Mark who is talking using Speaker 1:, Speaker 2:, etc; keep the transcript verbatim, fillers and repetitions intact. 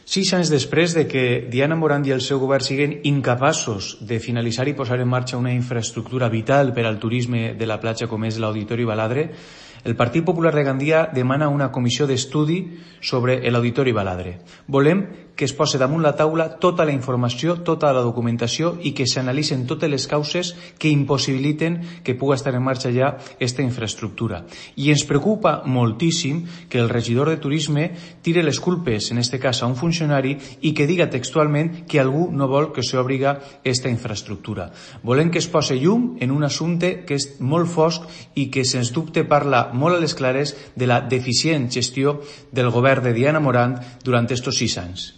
Speaker 1: Sis anys després de que Diana Morant i el seu govern siguen incapaços de finalitzar i posar en marxa una infraestructura vital per al turisme de la platja com és l'Auditori Baladre, el Partit Popular de Gandia demana una comissió d'estudi sobre l'Auditori Baladre. Volem que es posi damunt la taula tota la informació, tota la documentació i que s'analitzen totes les causes que impossibiliten que pugui estar en marxa ja aquesta infraestructura. I ens preocupa moltíssim que el regidor de Turisme tire les culpes, en este cas a un funcionari, i que diga textualment que algú no vol que s'obriga aquesta infraestructura. Volem que es posi llum en un assumpte que és molt fosc i que, sens dubte, parla molt a les clares de la deficient gestió del govern de Diana Morant durant estos sis anys.